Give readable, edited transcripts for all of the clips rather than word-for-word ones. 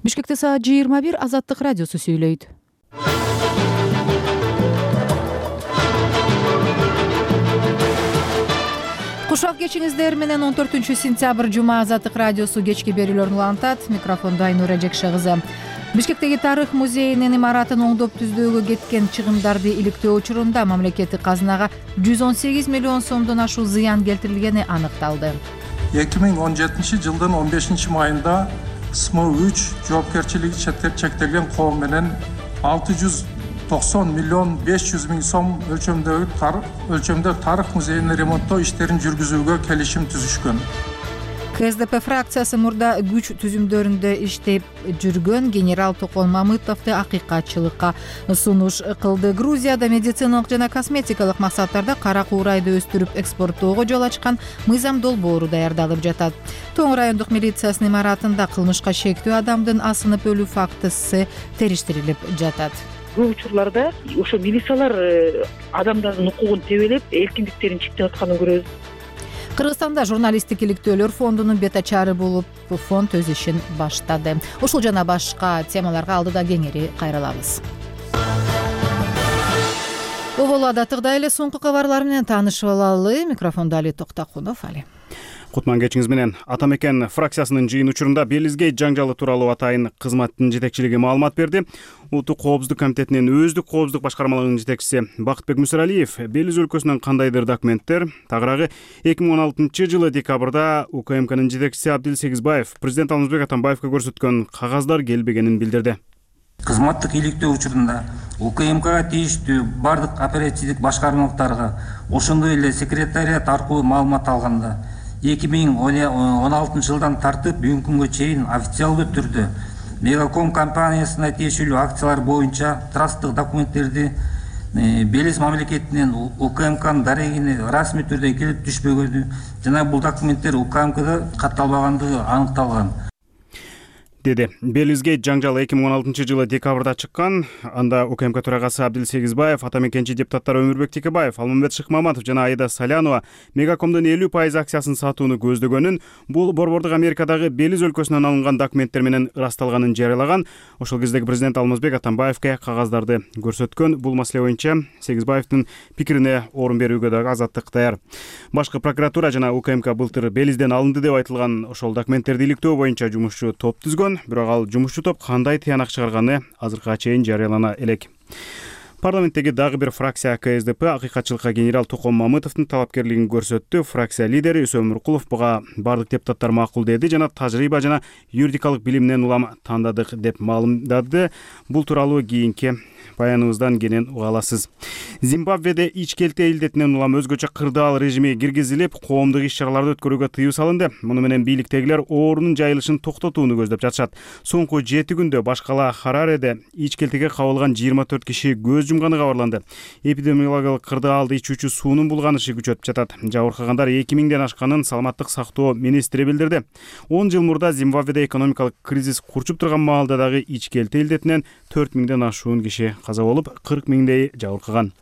Бишкекте саат 21 Азаттык радиосу сүйлөйт. Кушак кечиңиздер менен 14-сентябрь жума Азаттык радиосу кечки берүүлөрүн улантат. Микрофондо Айнура Жекшегызы. Бишкектеги тарых музейинин имаратын оңдоп түздөөгө кеткен чыгымдарды иликтөө учурунда мамлекеттик казынага 118 миллион сомдон ашуун зыян келтирилгени аныкталды. 2017 жылдын 15 майында СМО-3 жоопкерчилиги чектелген коом менен 690 миллион 500 миң сом өлчөмдө тарых музейинин ремонттоо иштерин жүргүзүүгө келишим түзүшкөн. КСДП фракциясы мурда күч түзүмдөрүндө иштеп жүргөн генерал Токон Мамытовду акыйкатчылыкка сунуш кылды. Грузияда медициналык жана косметикалык максаттарда кара куурайды өстүрүп экспорттоого жол ачкан мыйзам долбоору даярдалып жатат. Тоң райондук милициясынын имаратында кылмышка шектүү адамдын асынып өлүү фактысы териштирилип жатат. Көп учурларда ошо милициялар адамдардын укугун тебелеп, эркиндиктерин чектеп атканын көрөбүз. Кыргызстанда журналисттик иликтөөлөр фондунун бет ачары болуп, фонд өз ишин баштады. Ушул жана башка темаларга алдыда кеңири кайрылабыз. Оболу адаттыгдай эле соңку кабарлар менен таанышып алалы. Микрофондо Али Токтакунов. Кутман кечиңиз менен. Атамекен фракциясынын жыйын учурунда Белизгей жаңжалы тууралуу атайын кызматтын жетекчилиги маалымат берди. Улуттук коопсуздук комитетинин өздүк коопсуздук башкармалыгынын жетекчиси Бакытбек Мүсөралиев Белиз өлкөсүнөн кандайдыр документтер, тагыраагы 2016 жылы декабрда УКМКнын жетекчиси Абдил Сегизбаев президент Алмазбек Атамбаевге көрсөткөн кагаздар келбегенин билдирди. Кызматтык иликтөө учурунда УКМКга тийиштүү бардык оперативдик башкармалыктарга, ошондой эле секретариат аркылуу маалымат алганда 2016 жылдан тартып бүгүнкү күнгө чейин официалдуу түрдө Мегаком компаниясына тиешелүү акциялар боюнча трасттык документтерди Белиз мамлекетинен УКМКнын дарегине расмий түрдө келип түшпөгөнү жана бул документтер УКМКда катталбагандыгы аныкталган. Деди. Белизге жаңжалы 2016 жылы декабрда чыккан. Анда УКМК төрагасы Абдил Сегизбаев, атамекенчи депутаттар Өмүрбек Текебаев, Алмамбет Шыкмаматов жана Аида Салянова Мегакомдун 50% акциясын сатууну көздөгөнүн, бул борбордук Америкадагы Белиз өлкөсүнөн алынган документтер менен ырасталганын жарыялаган. Ошол кездеги президент Алмазбек Атамбаевге кагаздарды көрсөткөн. Бул маселе боюнча Сегизбаевдин пикирине орун берүүгө дагы Азаттык даяр. Башкы прокуратура жана УКМК былтыр Белизден алынды деп айтылган ошол документтерди иликтөө боюнча жумушчу топ түзгөн. Бирок ал жумушчу топ кандай тыянак чыгарганы азыркыга чейин жарыялана элек. Парламенттеги дагы бир фракция КСДП акыйкатчылыкка генерал Токон Мамытовдун талапкерлигин көрсөттү. Фракция лидери Үсөм Нуркулов буга бардык депутаттар макул деди жана тажрыйба жана юридикалык билиминен улам тандадык деп маалымдады. Бул тууралуу кийинки баяныбыздан кенен уга аласыз. Зимбабведе ичкелте илдетинен улам өзгөчө кырдаал режими киргизилип, коомдук иш-чараларды өткөрүүгө тыюу салынды. Муну менен бийликтегилер оорунун жайылышын токтотууну көздөп жатышат. Соңку 7 күндө баш кала Харареде ичкелтеге кабылган 24 киши көз жумганы кабарланды. Эпидемиологиялык кырдаалды ичүүчү суунун булганышы күчөп жатат. Жабыркагандар 2000ден ашканын саламаттык сактоо министри билдирди. 10 жыл мурда Зимбабведе экономикалык кризис курчуп турган маалда дагы ичкелте илдетинен 4000ден ашуун киши каза болуп, 40 миңдей жабыркаган.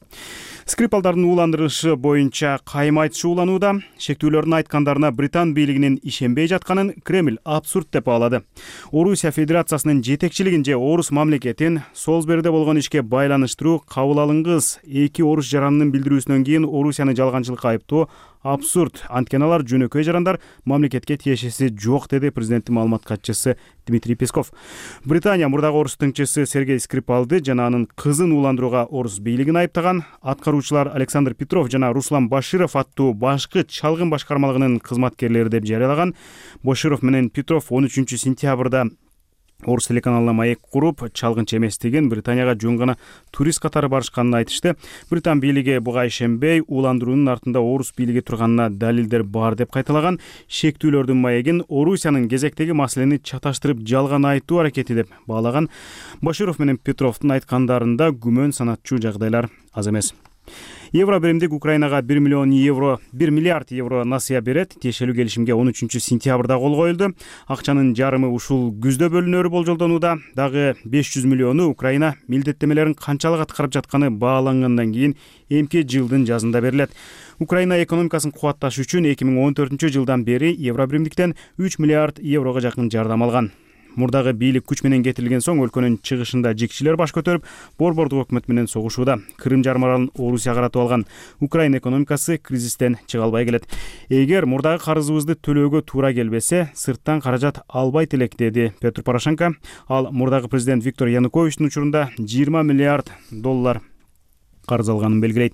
Скрипалдардын ууландырышы боюнча кайым айтышы ууланууда. Шектүүлөрдүн айткандарына Британ бийлигинин ишенбей жатканын Кремль абсурд деп баалады. Орусия Федерациясынын жетекчилигин же орус мамлекетин Солсбериде болгон ишке байланыштыруу кабыл алынгыс. Эки орус жаранынын билдирүүсүнөн кийин Орусияны жалганчылыкка айыптоо абсурд. Анткени алар жөнөкөй жарандар, мамлекетке тиешеси жок, деди президенттин маалымат катчысы Дмитрий Песков. Британия мурдагы орус тыңчысы Сергей Скрипалды жана анын кызын ууландырууга орус бийлигин айыптаган. Аткаруучулар Александр Петров жана Руслан Баширов аттуу башкы чалгын башкармалыгынын кызматкерлери деп жарыялаган. Баширов менен Петров 13 сентябрда орус телеканалына маек куруп, чалгынчы эместигин, Британияга жөн гана турист катары барышканын айтышты. Британ бийлиги буга ишенбей, ууландыруунун артында орус бийлиги турганына далилдер бар деп кайталаган. Шектүүлөрдүн маегин Орусиянын кезектеги маселени чаташтырып жалган айтуу аракети деп баалаган. Баширов менен Петровдун айткандарында күмөн санатчу жагдайлар аз эмес. Евро биримдик Украинага 1 миллиард евро насыя берет. Тиешелүү келишимге 13 сентябрда кол коюлду. Акчанын жарымы ушул күздө бөлүнөрү болжолдонууда. Дагы 500 миллиону Украина милдеттемелерин канчалык аткарып жатканы баалангандан кийин эмки жылдын жазында берилет. Украина экономикасын кубатташ үчүн 2014 жылдан бери евро биримдиктен 3 миллиард еврого жакын жардам алган. Мурдагы бийлик күч менен кетирилген соң өлкөнүн чыгышында жикчилер баш көтөрүп, борбордук өкмөт менен согушууда. Крым жарым аралын Орусия каратып алган Украина экономикасы кризистен чыга албай келет. Эгер мурдагы карызыбызды төлөөгө туура келбесе, сырттан каражат албайт элек, деди Петр Порошенко. Ал мурдагы президент Виктор Януковичтин учурунда 20 миллиард доллар карыз алганын белгилейт.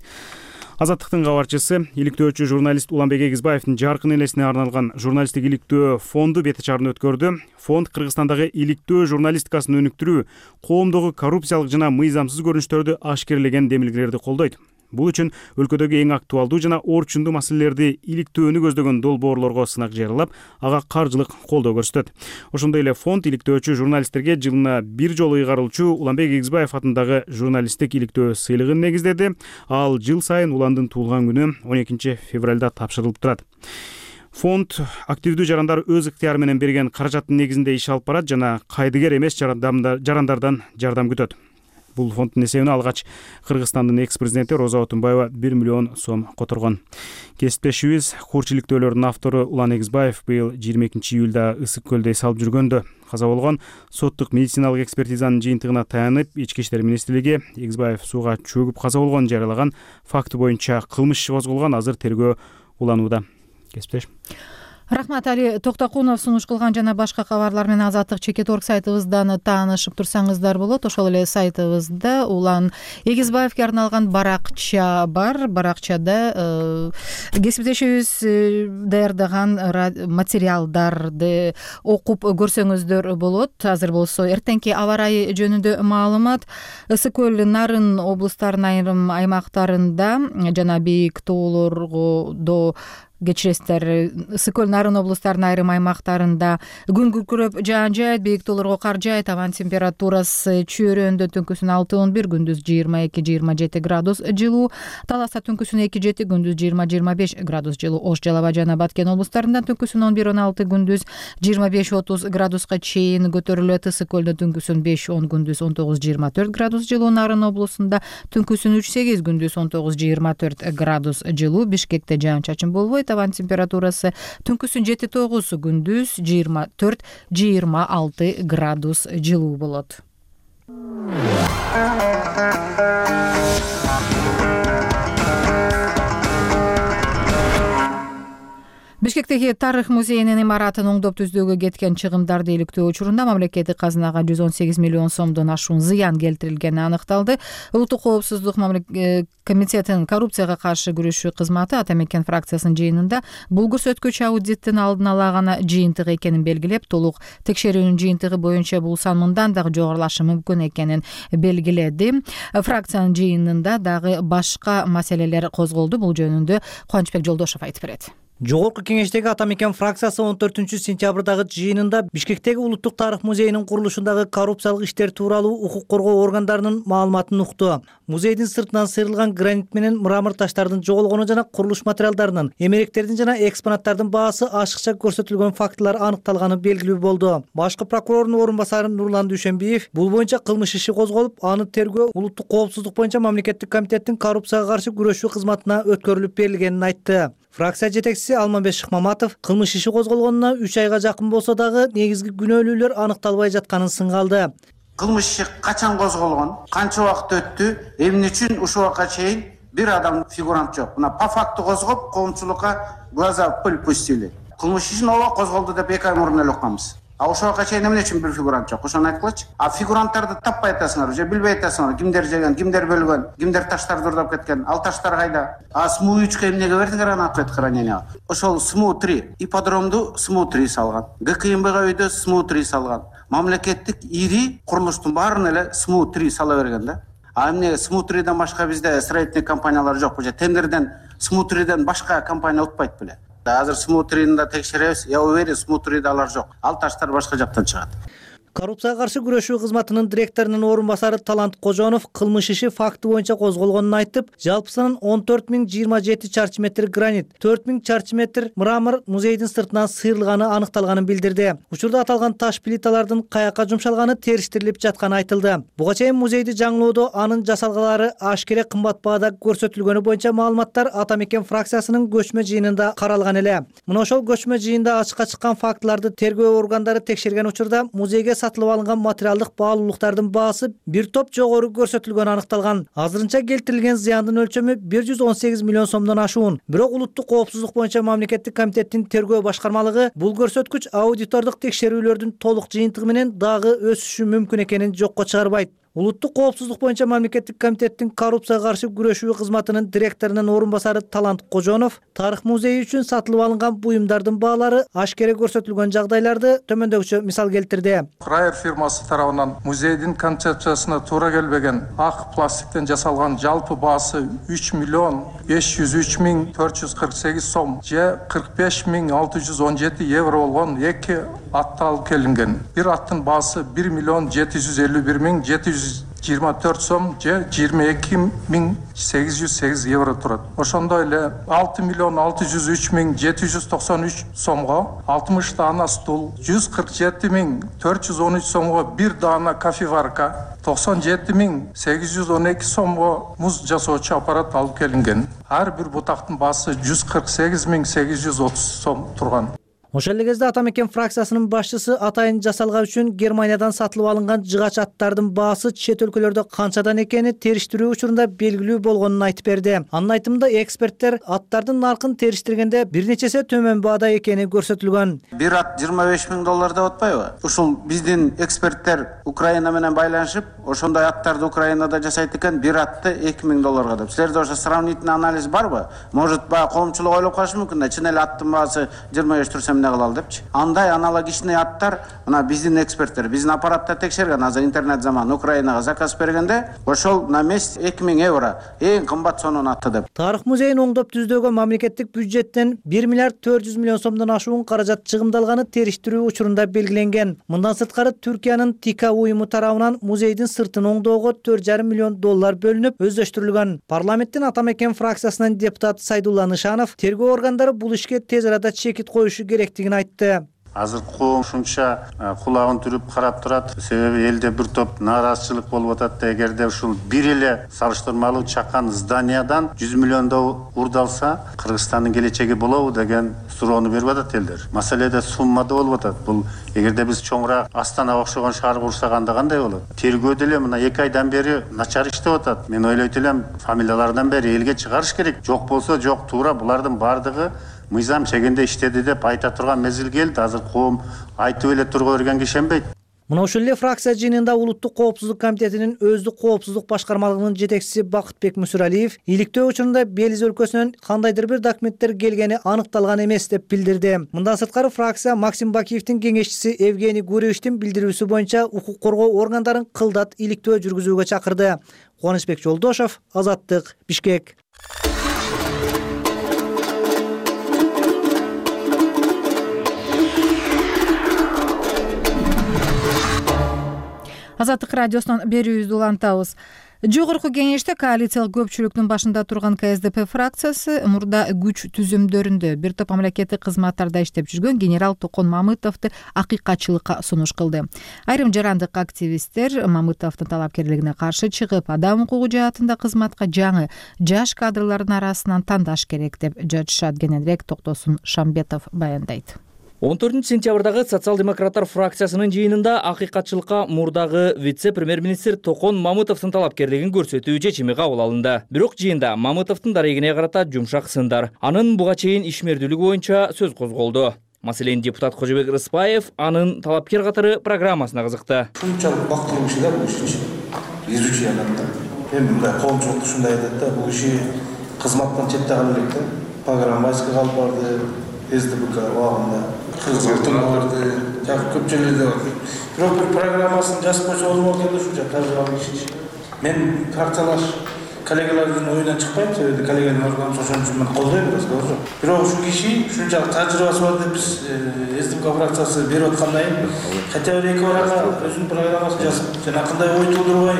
Азаттыктын кабарчысы, иликтөөчү журналист Уланбек Эгизбаевдин жаркын элесине арналган журналисттик иликтөө фонду бет чарын өткөрдү. Фонд Кыргызстандагы иликтөө журналистикасын өнүктүрүү, коомдогу коррупциялык жана мыйзамсыз көрүнүштөрдү ашкерлеген демилгелерди колдойт. Бул үчүн өлкөдөгү эң актуалдуу жана орчундуу маселелерди иликтөөнү көздөгөн долбоорлорго сынак жарыялап, ага каржылык колдоо көрсөтөт. Ошондой эле фонд иликтөөчү журналисттерге жылына бир жолу ыйгарылчу Уланбек Эгизбаев атындагы журналисттик иликтөө сыйлыгын негиздеди. Ал жыл сайын Уландын туулган күнү 12 февралда тапшырылып турат. Фонд активдүү жарандар өз ыктыяры менен берген каражаттын негизинде иш алып барат жана кайдыгер эмес жарандардан жардам күтөт. Бул фонддун эсебине алгач Кыргызстандын экс-президенти Роза Отунбаева 1 миллион сом которгон. Кесиптешибиз Курч иликтөөлөрдүн автору Улан Эгизбаев быйыл 22 июлда Ысык көлдө эс алып жүргөндө каза болгон. Соттук медициналык экспертизанын жыйынтыгына таянып, Ички иштер министрлиги Эгизбаев сууга чөгүп каза болгонун жарыялаган факты боюнча кылмыш иши козголгон, азыр тергөө уланууда. Кесиптеш. Рахмат, Али Токтокунов сунуш кылган жана башка кабарлар менен Азаттык Чекит.орг сайтыбыздан таанышып турсаңыздар болот. Ошол эле сайтыбызда Улан Эгизбаевге арналган баракча бар. Баракчада кесиптешибиз даярдаган материалдарды окуп көрсөңүздөр болот. Азыр болсо эртеңки аба ырайы жөнүндө маалымат. Ысык көл, Нарын облустарынын айрым аймактарында жана бийик тоолорго кечиресиздер, Ысык көл, Нарын облустарынын айрым аймактарында күн күркүрөп жаан жайт, бийик тоолорго кар жайт, абанын температурасы чөйрөндө түнкүсүн 6-11, күндүз 22-27 градус жылуу, Таласта түнкүсүн 2-7, күндүз 20-25 градус жылуу, Ош, Жалал Абад жана Баткен облустарында түнкүсүн 11-16, күндүз 25-30 градуска чейин көтөрүлөт. Ысык көлдө түнкүсүн 5-10, күндүз 19-24 градус жылуу, Нарын облусунда түнкүсүн 3-8, күндүз 19-24 градус жылуу, Бишкекте жаан-чачын болбойт. Абанын температурасы түнкүсүн 7-9, күндүз 24-26 градус жылуу болот. Бишкектеги Тарых музейинин имаратын оңдоп түздөөгө кеткен чыгымдарды иликтөө учурунда мамлекеттик казынага 118 миллион сомдон ашуун зыян келтирилгени аныкталды. Улуттук коопсуздук комитетинин коррупцияга каршы күрөшүү кызматы Ата Мекен фракциясынын жыйынында бул көрсөткүч аудиттин алдын ала гана жыйынтыгы экенин белгилеп, толук текшерүүнүн жыйынтыгы боюнча бул сан мындан дагы жогорулашы мүмкүн экенин белгиледи. Фракциянын жыйынында дагы башка маселелер козголду. Бул жөнүндө Кубанычбек Жолдошов айтып берет. Жогорку кеңештеги Ата Мекен фракциясы 14-сентябрдагы жыйынында Бишкектеги Улуттук Тарых музейинин курулушундагы коррупциялык иштер тууралуу укук коргоо органдарынын маалыматын укту. Музейдин сыртынан сыйрылган гранит менен мрамор таштардын жоголгону жана курулуш материалдарынын, эмеректердин жана экспонаттардын баасы ашыкча көрсөтүлгөн фактылар аныкталганы белгилүү болду. Башкы прокурордун орун басары Нурлан Дүйшөнбиев бул боюнча кылмыш иши козголуп, аны тергөө Улуттук коопсуздук боюнча мамлекеттик комитеттин коррупцияга каршы күрөшүү кызматына өткөрүлүп берилгенин айтты. Фракция жетекчиси Алмамбет Шыкмаматов кылмыш иши козголгонуна 3 айга жакын болсо дагы негизги күнөөлүүлөр аныкталбай жатканын сыңгалды. Кылмыш иши качан козголгон, канча убакыт өттү, эмне үчүн ушул убакка чейин бир адам фигурант жок. Мына по факту козгоп, коомчулукка глаза в пыль пустили. Кылмыш ишин ооба козголду деп 2 ай мурун эле укканбыз. А ошол убакка чейин эмне үчүн бир фигурант жок? Ошону айткылачы. А фигуранттарды таппай атасыңар, же билбей атасыңар, кимдер жеген, кимдер бөлгөн, кимдер таштарды урдап кеткен, ал таштар кайда? А СМУ-3 эмнеге бердиңер аны ответ хранения? Ошол СМУ-3 ипподромду СМУ-3 салган, ГКМБга үйдө СМУ-3 салган, мамлекеттик ири курулуштун баарын эле СМУ-3 сала берген да. А эмне СМУ-3ден башка бизде строительный компаниялар жокпу же тендерден СМУ-3ден башка компания утпайт беле? Азыр СМУ-3-ны да текшеребиз. Я уверен, СМУ-3да алар жок. Ал таштар башка жактан чыгат. Коррупцияга каршы күрөшүү кызматынын директорунун орун басары Талант Кожонов кылмыш иши факты боюнча козголгонун айтып, жалпысынан 14.027 чарчы метр гранит, 4.000 чарчы метр мрамор музейдин сыртынан сыйрылганы аныкталганын билдирди. Учурда аталган таш плиталардын каяка жумшалганы териштирилип жатканы айтылды. Буга чейин музейди жаңылоодо анын жасалгалары ашкере кымбат баада көрсөтүлгөнү боюнча маалыматтар Ата Мекен фракциясынын көчмө жыйынында каралган эле. Мына ошол көчмө жыйында ачыкка чыккан фактыларды тергөө органдары текшерген учурда музейге сатылып алынган материалдык баалуулуктардын баасы бир топ жогору көрсөтүлгөнү аныкталган. Азырынча келтирилген зыяндын өлчөмү 118 миллион сомдон ашуун. Бирок улуттук коопсуздук боюнча мамлекеттик комитеттин тергөө башкармалыгы бул көрсөткүч аудитордук текшерүүлөрдүн толук жыйынтыгы менен дагы өсүшү мүмкүн экенин жокко чыгарбайт. Улуттук коопсуздук боюнча мамлекеттик комитеттин коррупцияга каршы күрөшүү кызматынын директорунун орун басары Талант Кожонов тарых музейи үчүн сатылып алынган буюмдардын баалары ашкере көрсөтүлгөн жагдайларды төмөндөгүчө мисал келтирди. Райер фирмасы тарабынан музейдин концепциясына туура келбеген ак пластиктен жасалган жалпы баасы 3.503.448 сом же 45.617 евро болгон 2 атты алып келинген. Бир аттын баасы 1.751.724 сом же 22.808 евро турат. Ошондой эле 6.603.793 сомго 60 даана стул, 147.413 сомго бир даана кофеварка, 97.812 сомго муз жасоочу аппарат алып келинген. Ар бир бутактын баасы 148.830 сом турган. Ошол эле кезде Ата Мекен фракциясынын башчысы атайын жасалгаа үчүн Германиядан сатылып алынган жыгач аттардын баасы чет өлкөлөрдө канчадан экени териштирүү учурунда белгилүү болгонун айтып берди. Анын айтымында эксперттер аттардын наркын териштиргенде бир нече эсе төмөн баада экени көрсөтүлгөн. Бир ат 25 000 доллар деп атпайбы? Ушул биздин эксперттер Украина менен байланышып, ошондой аттарды Украинада жасайт экен, бир атты 2000 долларга деп. Силерде ошо сравнительный анализ барбы? Может, баягы коомчулук ойлоп калышы мүмкүн да, чын эле аттын баасы 25 турса эмне кылалы депчи. Андай аналогичный аттар мына биздин эксперттер, биздин аппаратта текшерген, азыр интернет заман Украинага заказ бергенде, ошол на месте 2000 евро эң кымбат сонун атты деп. Тарых музейин оңдоп түздөгөн мамлекеттик бюджеттен 1 миллиард 400 миллион сомдон ашуун каражат чыгымдалганы териштирүү учурунда белгиленген. Мындан сырткары Түркиянын ТИКА уюму тарабынан музейдин сыртын оңдоого 4,5 миллион доллар бөлүнүп өздөштүрүлгөн. Парламенттин Ата Мекен фракциясынын депутаты Сайдулла Нышанов тергөө органдары бул ишке тез арада чекит коюшу керектигин айтты. Азыр коом ушунча кулагын түрүп карап турат. Себеби элде бир топ нааразычылык болуп атат да, эгерде ушул бир эле салыштырмалуу чакан зданиядан 100 миллиондоо урдалса, Кыргызстандын келечеги болобу деген суроону берип атат элдер. Маселеде суммада болуп атат. Бул эгерде биз чоңураак Астана окшогон шаар курсак анда кандай болот? Тергөө деле мына 2 айдан бери начар иштеп атат. Мен ойлойт элем, фамилиялардан бери элге чыгарыш керек. Жок болсо жок, туура булардын бардыгы мыйзам чегинде иштеди деп айта турган мезгил келди. Азыр коом айтып эле турга бергенге ишенбейт. Мына ушул эле фракция жыйынында Улуттук коопсуздук комитетинин өздүк коопсуздук башкармалыгынын жетекчиси Бакытбек Мүсүралиев иликтөө учурунда Белиз өлкөсүнөн кандайдыр бир документтер келгени аныкталган эмес деп билдирди. Мындан сырткары фракция Максим Бакиевдин кеңешчиси Евгений Гуревичтин билдирүүсү боюнча укук коргоо органдарын кылдат иликтөө жүргүзүүгө чакырды. Кубанычбек Жолдошов, Азаттык, Бишкек. Азаттык радиосунан берүүбүздү улантабыз. Жогорку кеңеште коалициялык көпчүлүктүн башында турган КСДП фракциясы мурда күч түзүмдөрүндө бир топ мамлекеттик кызматтарда иштеп жүргөн генерал Токон Мамытовду акыйкатчылыкка сунуш кылды. Айрым жарандык активисттер Мамытовдун талапкерлигине каршы чыгып, адам укугу жаатында кызматка жаңы жаш кадрлардын арасынан тандаш керек деп жатышат. Кененирээк Токтосун Шамбетов баяндайт. 14-сентябрдагы социал-демократтар фракциясынын жыйынында акыйкатчылыкка мурдагы вице-премьер-министр Токон Мамытовдун талапкерлигин көрсөтүү чечими кабыл алынды. Бирок жыйында Мамытовдун дарегине карата жумшак сындар, анын буга чейин ишмердүүлүгү боюнча сөз козголду. Маселен, депутат Кожобек Рыспаев анын талапкер катары программасына кызыкты. Ушунчалык бактылуу киши да бул иш үчүн. Изучий адамдар. Эми мындай коомчулук ушундай айтат да, бул киши кызматтан четте калып элек да. Программасына калып барды, СДБК убагында. Кызматтарды жакып көпчүлүгү бар. Бирок бир программасын жазып койсо болмок экен ушунча тажрыйбалуу киши. Мен партиялаш коллегалардын оюнан чыкпайм, себеби коллегалардын органы ошон үчүн мен колдойм бирок бирок ушул киши ушунчалык тажрыйбасы бар деп биз СДПК фракциясы берип аткандан кийин хотя бы эки барага өзүнүн программасын жазып жана кандай ой туудурбай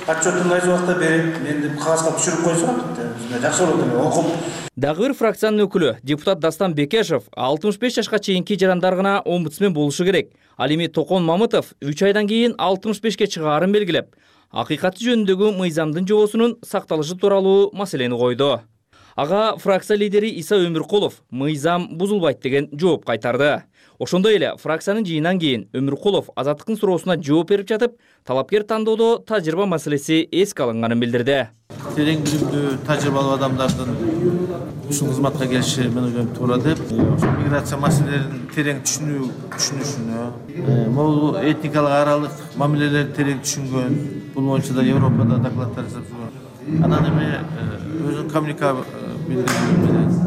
отчетун айз убакта берип мен деп кагазга түшүрүп койсо жакшы болот эле окуп. Дагы бир фракциянын өкүлү депутат Дастан Бекешев 65 жашка чейинки жарандар гана омбудсмен болушу керек. Ал эми Токон Мамытов 3 айдан кийин 65ке чыгаарын белгилеп, акыйкаты жөнүндөгү мыйзамдын жобосунун сакталышы тууралуу маселени койду. Ага фракция лидери Иса Өмүркулов мыйзам бузулбайт деген жооп кайтарды. Ошондой эле фракциянын жыйынынан кийин Өмүркулов Азаттыктын суроосуна жооп берип жатып, талапкер тандоодо тажрыйба маселеси эске алынганын билдирди. Терең билимдүү тажрыйбалуу адамдардын ушул кызматка келиши мен ойлойм туура деп, ошол миграция маселелерин терең түшүнүшүнө, могул этникалык аралык мамилелерди терең түшүнгөн, бул боюнча да Европада докладдар жасап жүргөн. Анан эми өзүнүн коммуникаб билдирүү менен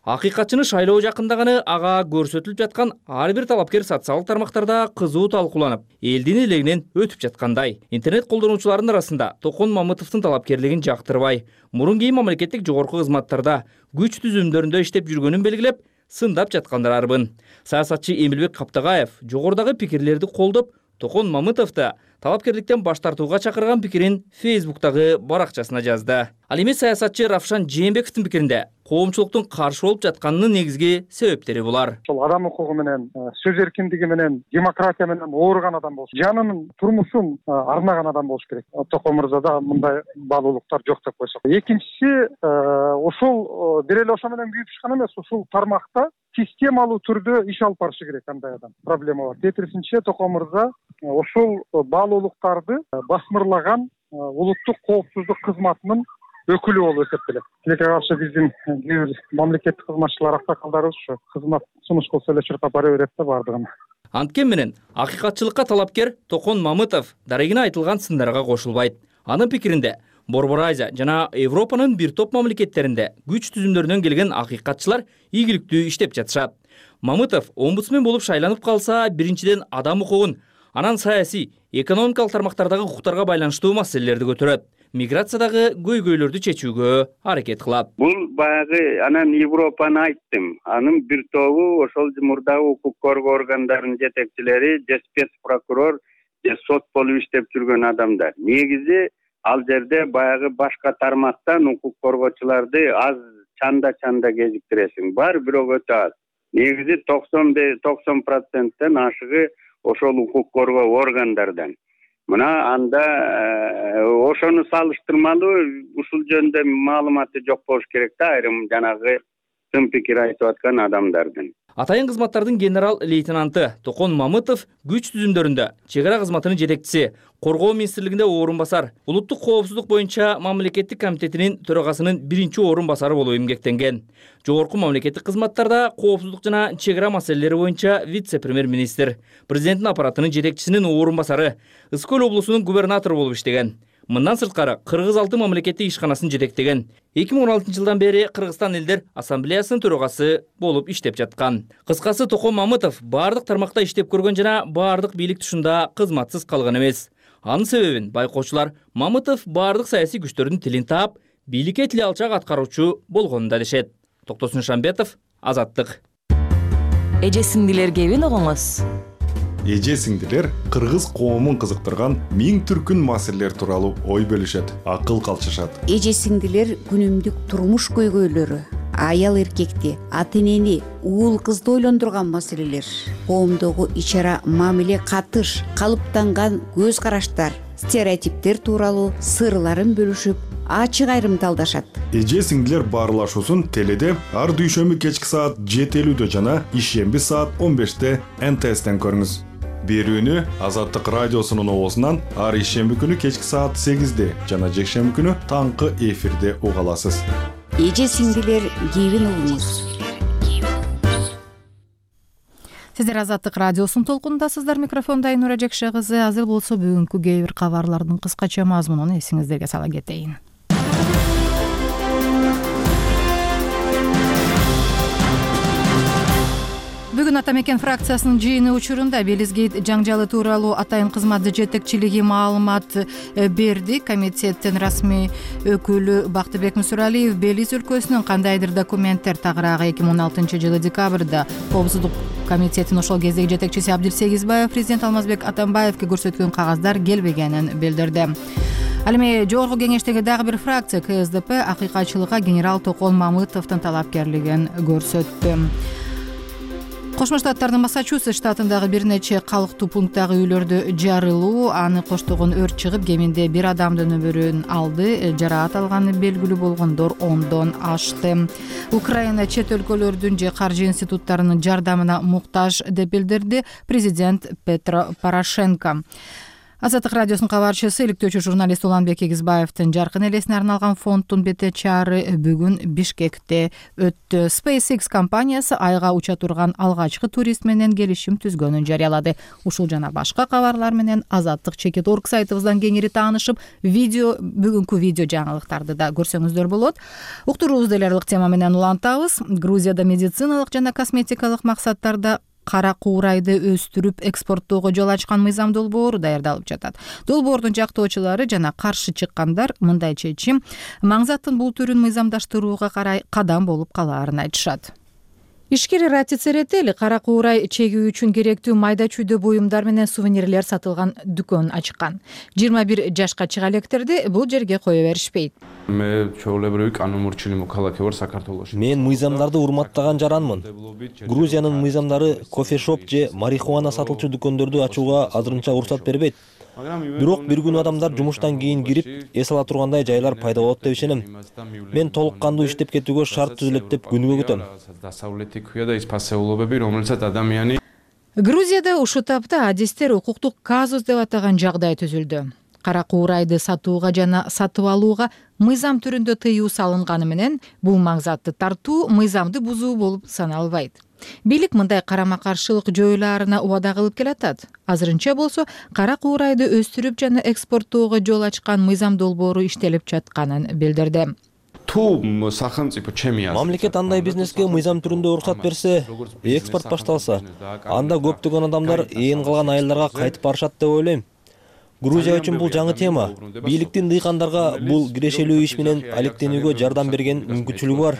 Акыйкатчыны шайлоо жакындаганы ага көрсөтүлүп жаткан ар бир талапкер социалдык тармактарда кызуу талкууланып, элдин элегинен өтүп жаткандай. Интернет колдонуучулардын арасында Токон Мамытовдун талапкерлигин жактырбай, мурун кийин мамлекеттик жогорку кызматтарда күч түзүмдөрүндө иштеп жүргөнүн белгилеп, сындап жаткандар арбын. Саясатчы Эмилбек Каптагаев жогорудагы пикирлерди колдоп, Токон Мамытовду талапкерликтен баш тартууга чакырган пикирин Фейсбуктагы баракчасына жазды. Ал эми саясатчы Равшан Жээнбековдун пикиринде коомчулуктун каршы болуп жатканынын негизги себептери булар. Ошол адам укугу менен, сөз эркиндиги менен, демократия менен ооруган адам болуш, жанынын турмушун арнаган адам болуш керек. Токон мырзада мындай баалуулуктар жок деп койсок. Экинчиси, ошол бир эле ошо менен күйүп чыккан эмес, ушул тармакта системалуу түрдө иш алып барышы керек кандай адам. Проблема бар. Тетирисинче Токон мырза ошол баалуулуктарды басмырлаган улуттук коопсуздук кызматынын өкүлү болуп эсептелет. Тилекке каршы биздин кээ бир мамлекеттик кызматчылар, аксакалдарыбыз ушу кызмат сунуш кылса эле чуркап бара берет да бардыгын. Анткени менен акыйкатчылыкка талапкер Токон Мамытов дарегине айтылган сындарга кошулбайт. Анын пикиринде Борбор Азия жана Европанын бир топ мамлекеттеринде күч түзүмдөрүнөн келген акыйкатчылар ийгиликтүү иштеп жатышат. Мамытов омбудсмен болуп шайланып калса, биринчиден адам укугун, анан саясий, экономикалык тармактардагы укуктарга байланыштуу маселелерди көтөрөт. Миграциядагы көйгөйлөрдү чечүүгө аракет кылат. Бул баягы анан Европаны айттым. Анын бир тобу ошол мурдагы укук коргоо органдарынын жетекчилери, же спец прокурор, же сот болуп иштеп жүргөн адамдар. Негизи ал жерде баягы башка тармактан укук коргоочуларды аз чанда кезиктиресиң. Бар, бирок өтө аз. Негизи 90% ашыгы ошол укук коргоо органдардан. Мына анда ошону салыштырмалуу ушул жөнүндө маалыматы жок болуш керек да айрым жанагы тым пикир айтып аткан адамдардын. Атайын кызматтардын генерал лейтенанты Токон Мамытов күч түзүмдөрүндө чек ара кызматынын жетекчиси, Коргоо министрлигинде орун басар, улуттук коопсуздук боюнча мамлекеттик комитетинин төрагасынын биринчи орун басары болуп эмгектенген. Жогорку мамлекеттик кызматтарда коопсуздук жана чек ара маселелери боюнча вице-премьер-министр, президенттин аппаратынын жетекчисинин орун басары, Ысык Көл облусунун губернатору болуп иштеген. Мындан сырткары Кыргыз алты мамлекеттик ишканасын жетектеген. 2016 жылдан бери Кыргызстан элдер ассамблеясынын төрагасы болуп иштеп жаткан. Кыскасы Токон Мамытов бардык тармакта иштеп көргөн жана бардык бийлик тушунда кызматсыз калган эмес. Анын себебин байкоочулар Мамытов бардык саясий күчтөрдүн тилин таап, бийликке тили алчак аткаруучу болгонун дешет. Токтосун Шамбетов, Азаттык. Эже сиңдилер кебин огоңуз. Эже сиңдилер кыргыз коомун кызыктырган миң түркүн маселелер тууралуу ой бөлүшөт, акыл калчышат. Эже сиңдилер күнүмдүк турмуш көйгөйлөрү, аял эркекти, ата энени, уул кызды ойлондурган маселелер, коомдогу ич ара мамиле катыш, калыптанган көз караштар, стереотиптер тууралуу сырларын бөлүшүп, ачык айрымталдашат. Эже сиңдилер баарлашуусун теледе ар дүйшөмбү кечки саат 7:50 жана ишемби саат 15-те НТСтен көрүңүз. Берүүнү Азаттык радиосунун оозунан ар ишемби күнү кечки саат 8-де жана жекшемби күнү таңкы эфирде уга аласыз. Эже сиңдилер кебин угуңуз. Сиздер Азаттык радиосунун толкунундасыздар. Микрофонда Айнура Жекше кызы. Азыр болсо бүгүнкү кээ бир кабарлардын кыскача мазмунун эсиңиздерге сала кетейин. Бүгүн Ата мекен фракциясынын жыйыны учурунда Белизгейт жаңжалы тууралуу Атайын кызмат жетекчилиги маалымат берди. Комитеттин расмий өкүлү Бактыбек Мусуралиев Белиз өлкөсүнүн кандайдыр документтер тагыраагы 2016-жылы декабрда Коопсуздук комитетинин ошол кездеги жетекчиси Абдил Сегизбаев президент Алмазбек Атамбаевге көрсөткөн кагаздар келбегенин билдирди. Ал эми жогорку кеңештеги дагы бир фракция КСДП акыйкатчылыкка генерал Токон Мамытовдун талапкерлигин көрсөттү. Кошмо Штаттардын Массачусетс штатындагы бир нече калктуу пункттагы үйлөрдө жарылуу, аны коштогон өрт чыгып, кеминде бир адамдын өмүрүн алды. Жараат алганы белгилүү болгондор 10дон ашты. Украина чет өлкөлөрдүн же каржы институттарынын жардамына муктаж деп билдирди президент Петро Порошенко. Азаттык радиосунун кабарчысы, иликтөөчү журналист Уланбек Эгизбаевдин жаркын элесине арналган фонддун бете чаары бүгүн Бишкекте өттү. SpaceX компаниясы айга уча турган алгачкы турист менен келишим түзгөнүн жарыялады. Ушул жана башка кабарлар менен azattik.org сайтыбыздан кеңири таанышып, бүгүнкү видео жаңылыктарды да көрсөңүздөр болот. Уктуруубузду эле тема менен улантабыз. Грузияда медициналык жана косметикалык максаттарда кара куурайды өстүрүп экспорттоого жол ачкан мыйзам долбоору даярдалып жатат. Долбоордун жактоочулары жана каршы чыккандар мындай чечим маңзаттын бул түрүн мыйзамдаштырууга карай кадам болуп калаарын айтышат. Ишкер Ратицеретели кара куурай чегүү үчүн керектүү майда чүйдө буюмдар менен сувенирлер сатылган дүкөн ачкан. 21 жашка чыга электерди бул жерге кое беришпейт. Мен мыйзамдарды урматтаган жаранмын. Грузиянын мыйзамдары кофе-шоп же марихуана сатылчу дүкөндөрдү ачууга азырынча уруксат бербейт. Бирок бир күнү адамдар жумуштан кийин кирип, эс ала тургандай жайлар пайда болот деп ишенем. Мен толук кандуу иштеп кетүүгө шарт түзүлөт деп күнүгө күтөм. Грузияда ушул тапта адистер укуктук казус деп атаган жагдай түзүлдү. Кара куурайды сатууга жана сатып алууга мыйзам түрүндө тыюу салынганы менен бул маңзатты тартуу мыйзамды бузуу болуп саналбайт. Бийлик мындай карама-каршылык жоюлаарына убада кылып келатат. Азырынча болсо кара куурайды өстүрүп жана экспорттоого жол ачкан мыйзам долбоору иштелип жатканын билдирди. Мамлекет андай бизнеске мыйзам түрүндө уруксат берсе, экспорт башталса, анда көптөгөн адамдар ээн калган айылдарга кайтып барышат деп ойлойм. Грузия үчүн бул жаңы тема. Бийликтин дыйкандарга бул кирешелүү иш менен алектенүүгө жардам берген мүмкүнчүлүгү бар.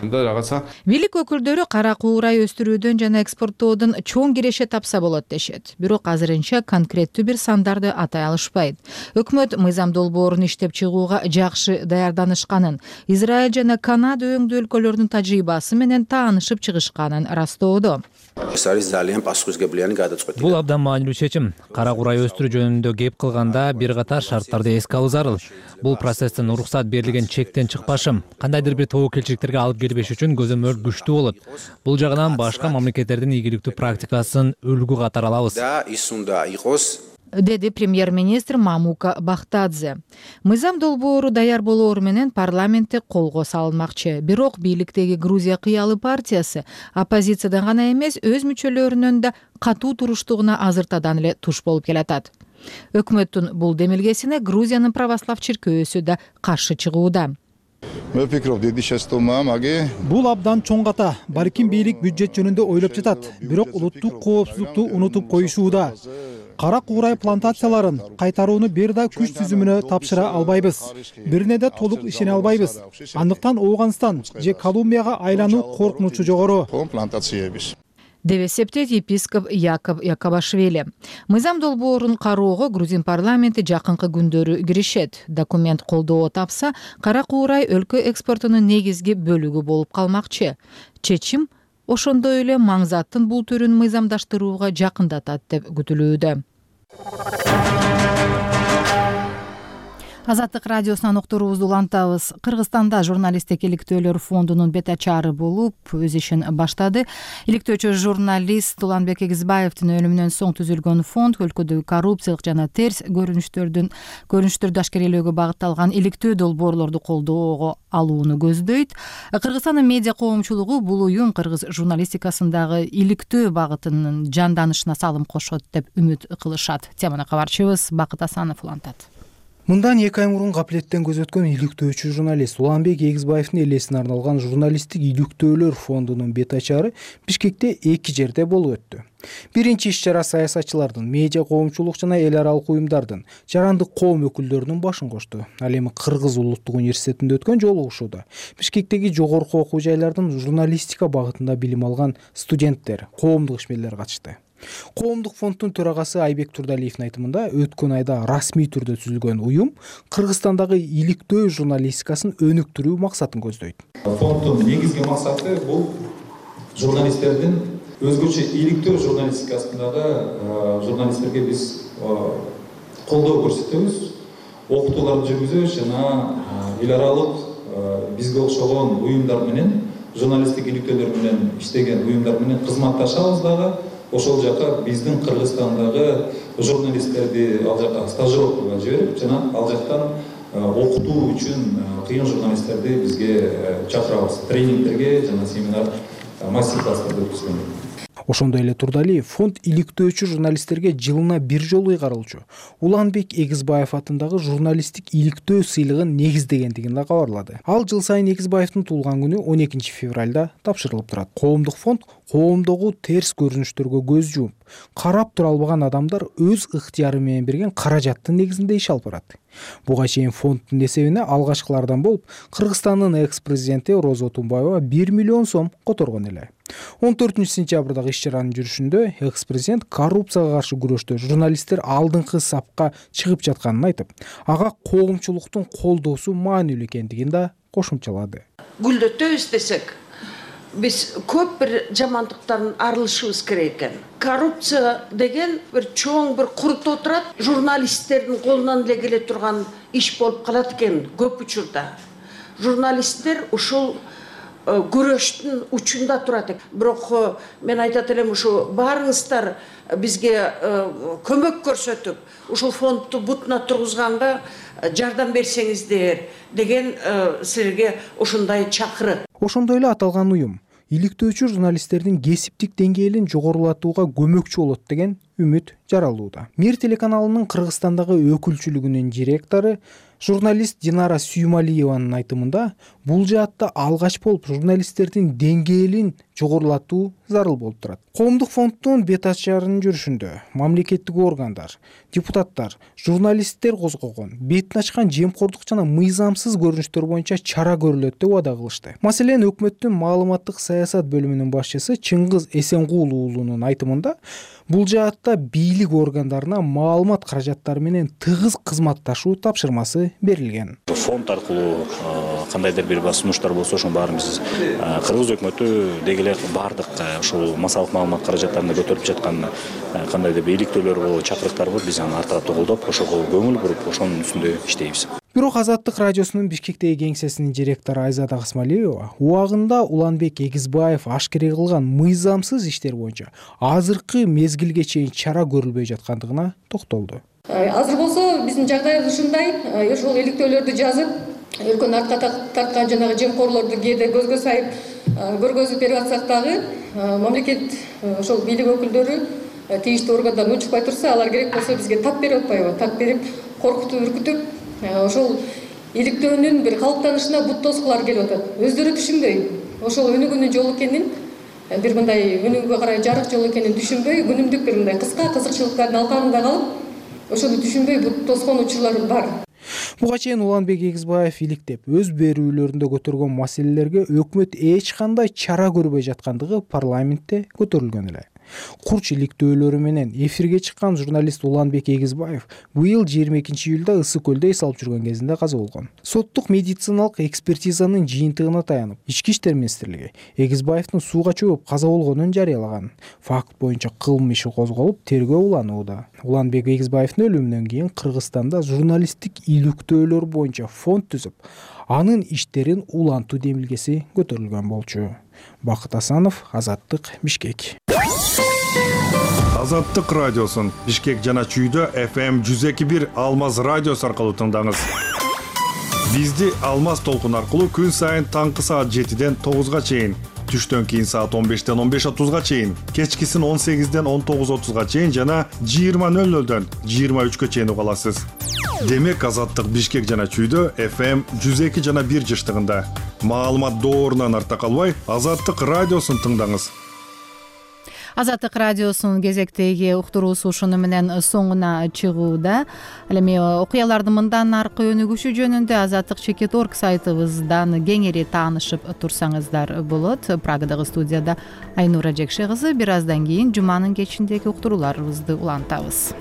Бийлик өкүлдөрү кара куурай өстүрүүдөн жана экспорттоодон чоң киреше тапса болот дешет. Бирок азырынча конкреттүү бир сандарды атай алышпайт. Өкмөт мыйзам долбоорун иштеп чыгууга жакшы даярданышканын, Израиль жана Канада өңдүү өлкөлөрдүн тажрыйбасы менен таанышып чыгышканын растоодо. Бул абдан маанилүү чечим. Кара куурай өстүрүү жөнүндө кеп кылганда бир катар шарттарды эске алуу зарыл. Бул процесстин уруксат берилген чектен чыкпашым, кандайдыр бир тобокелчиликтерге алып келбеш үчүн көзөмөл күчтүү болот. Бул жагынан башка мамлекеттердин ийгиликтүү практикасын үлгү катары алабыз. Деди премьер-министр Мамука Бахтадзе. Мыйзам долбоору даяр болоору менен парламентте колго салынмакчы. Бирок бийликтеги Грузия кыялы партиясы оппозициядан гана эмес, өз мүчөлөрүнүн да катуу туруштугуна азыртадан эле туш болуп келатат. Өкмөттүн бул демилгесине Грузиянын православ чиркөөсү да каршы чыгууда. Бул абдан чоң ката. Балким бийлик бюджет жөнүндө ойлоп жатат, бирок улуттук коопсуздукту унутуп коюшууда. Кара куурай плантацияларын кайтарууну бир да күч түзүмүнө тапшыра албайбыз. Бирине да толук ишене албайбыз. Андыктан Ооганстан же Колумбияга айлануу коркунучу жогору. деп эсептейт епископ Яков Якобашвили. Мыйзам долбоорун кароого грузин парламенти жакынкы күндөрү киришет. Документ колдоо тапса, кара куурай өлкө экспортунун негизги бөлүгү болуп калмакчы. Чечим ошондой эле маңзаттын бул түрүн мыйзамдаштырууга жакындатат деп күтүлүүдө. Азаттык радиосунан уктуруубузду улантабыз. Кыргызстанда журналисттик иликтөөлөр фондунун бет ачаары болуп, өз ишин баштады. Иликтөөчү журналист Уланбек Эгизбаевдин өлүмүнөн соң түзүлгөн фонд өлкөдөгү коррупциялык жана терс көрүнүштөрдү ашкерелөөгө багытталган иликтөө долбоорлорду колдоого алууну көздөйт. Кыргызстандын медиа коомчулугу бул уюм кыргыз журналистикасындагы иликтөө багытынын жанданышына салым кошот деп үмүт кылышат. Теманы кабарчыбыз Бакыт Асанов улантат. Мындан 2 ай мурун капилеттен көз өткөн иликтөөчү журналист Уланбек Эгизбаевдин элесине арналган журналисттик иликтөөлөр фондунун бет ачары Бишкекте 2 жерде болуп өттү. Биринчи иш-чара саясатчылардын, медиа коомчулук жана эл аралык уюмдардын, жарандык коом өкүлдөрүнүн башын кошту. Ал эми Кыргыз улуттук университетинде өткөн жолугушууда Бишкектеги жогорку окуу жайлардын журналистика багытында билим алган студенттер, коомдук ишмерлер катышты. Коомдук фонддун төрагасы Айбек Турдалиевдин айтымында өткөн айда расмий түрдө түзүлгөн уюм Кыргызстандагы иликтөө журналистикасын өнүктүрүү максатын көздөйт. Фонддун негизги максаты бул журналисттердин өзгөчө иликтөө журналистикасындагы журналисттерге биз колдоо көрсөтөбүз, окутууларды жүргүзөбүз жана эл аралык бизге окшогон уюмдар менен, журналисттик иликтөөлөр менен иштеген уюмдар менен кызматташабыз дагы. Ошол жака биздин Кыргызстандагы журналисттерди ал жака стажировкага жиберип, жана ал жактан окутуу үчүн кыйын журналисттерди бизге чакырабыз. Тренингтерге жана семинар, мастер-класстарды өткүзгөн. Ошондой эле Турдалиев фонд иликтөөчү журналисттерге жылына 1 жолу ыйгарылчу Уланбек Эгизбаев атындагы журналисттик иликтөө сыйлыгын негиздегендигин да кабарлады. Ал жыл сайын Эгизбаевдин туулган күнү 12 февралда тапшырылып турат. Коомдук фонд коомдогу терс көрүнүштөргө көз жумуп, карап тура албаган адамдар өз ыктыяры менен берген каражаттын негизинде иш алып барат. Буга чейин фонддун эсебине алгачкылардан болуп Кыргызстандын экс-президенти Роза Отунбаева 1 миллион сом которгон эле. 14-сентябрдагы иш-чаранын жүрүшүндө экс-президент коррупцияга каршы күрөштө журналисттер алдыңкы сапка чыгып жатканын айтып, ага коомчулуктун колдоосу маанилүү экендигин да кошумчалады. Гүлдөтөбүз десек, биз көп бир жамандыктардан арылышыбыз керек экен. Коррупция деген бир чоң бир курутуп турат, журналисттердин колунан эле келе турган иш болуп калат экен көп учурда. Журналисттер ушул көрөштүн учунда турат экен. Бирок мен айтат элем, ушу баарыңыздар бизге көмөк көрсөтүп, ушул фондду бутуна тургузганга жардам берсеңиздер деген силерге ушундай чакырык. Ошондой эле аталган уюм иликтөөчү журналисттердин кесиптик деңгээлин жогорулатууга көмөкчү болот деген үмүт жаралууда. Мир телеканалынын Кыргызстандагы өкүлчүлүгүнүн директору журналист Динара Сүймалиеванын айтымында, бул жаатта алгач болуп журналисттердин деңгээлин жогорулатуу зарыл болуп турат. Коомдук фонддун бет ачарынын жүрүшүндө мамлекеттик органдар, депутаттар, журналисттер козгогон, бетин ачкан жемкордук жана мыйзамсыз көрүнүштөр боюнча чара көрүлөт деп убада кылышты. Маселен, өкмөттүн маалыматтык саясат бөлүмүнүн башчысы Чыңгыз Эсенгул уулунун айтымында, бул жаатта бийлик органдарына маалымат каражаттары менен тыгыз кызматташуу тапшырмасы берилген. Фонд аркылуу кандайдыр бир сунуштар болсо, ошонун баарын биз Кыргыз өкмөтү деги эле бардык ушул массалык маалымат каражаттарында көтөрүп жаткан кандайдыр бир иликтөөлөр болобу, чакырыктар болот, биз аны ар тараптуу колдоп, ошого көңүл буруп, ошонун үстүндө иштейбиз. Бирок Азаттык радиосунун Бишкектеги кеңсесинин директору Айзада Касмалиева убагында Уланбек Эгизбаев ашкере кылган мыйзамсыз иштер боюнча азыркы мезгилге чейин чара көрүлбөй жаткандыгына токтолду. Азыр болсо биздин жагдайыбыз ушундай, ошол иликтөөлөрдү жазып, өлкөнү артка тарткан жанагы жемкорлорду кээде көзгө сайып көргөзүп берип атсак дагы, мамлекет ошол бийлик өкүлдөрү тийиштүү органдардан учпай турса, алар керек болсо бизге тап берип атпайбы? Тап берип, коркутуп, үркүтүп, ошол иликтөөнүн бир калыптанышына бут тоскулар келип атат. Өздөрү түшүнбөй, ошол өнүгүүнүн жолу экенин, бир мындай өнүгүүгө карай жарык жол экенин түшүнбөй, күнүмдүк бир мындай кыска кызыкчылыктардын алкагында калып, ошону түшүнбөй бут тоскон учурлар бар. Буга чейин Уланбек Эгизбаев иликтеп, өз берүүлөрүндө көтөргөн маселелерге өкмөт эч кандай чара көрбөй жаткандыгы парламентте көтөрүлгөн эле. Курч иликтөөлөрү менен эфирге чыккан журналист Уланбек Эгизбаев быйыл 22-июлда Ысык көлдө эс алып жүргөн кезинде каза болгон. Соттук медициналык экспертизанын жыйынтыгына таянып, Ички иштер министрлиги Эгизбаевдин сууга чөгүп каза болгонун жарыялаган. Факт боюнча кылмыш иши козголуп, тергөө уланууда. Уланбек Эгизбаевдин өлүмүнөн кийин Кыргызстанда журналисттик иликтөөлөр боюнча фонд түзүп, анын иштерин улантуу демилгеси көтөрүлгөн болчу. Бакыт Асанов, Азаттык, Бишкек. Азаттык радиосун Бишкек жана Чүйдө FM 102.1 Алмаз радиосу аркылуу тыңдаңыз. Бизди Алмаз толкун аркылуу күн сайын таңкы саат 7-ден 9-га чейин түштөн кийин саат 15-ден 15:30 чейин, кечкисин 18-ден 19:30 чейин жана 20:00-дөн 23-кө чейин уга аласыз. Демек Азаттык Бишкек жана Чүйдө FM 102 жана 1 жыштыгында. Маалымат доорунан арта калбай, Азаттык радиосун тыңдаңыз. Азаттык радиосунун кезектеги уктуруусу ушуну менен соңуна чыгууда. Ал эми окуялардын мындан аркы өнүгүшү жөнүндө Азаттык.org сайтыбыздан кеңири таанышып турсаңыздар болот. Прагадагы студияда Айнура Жекше кызы. Бир аздан кийин жуманын кечиндеги уктурууларыбызды улантабыз.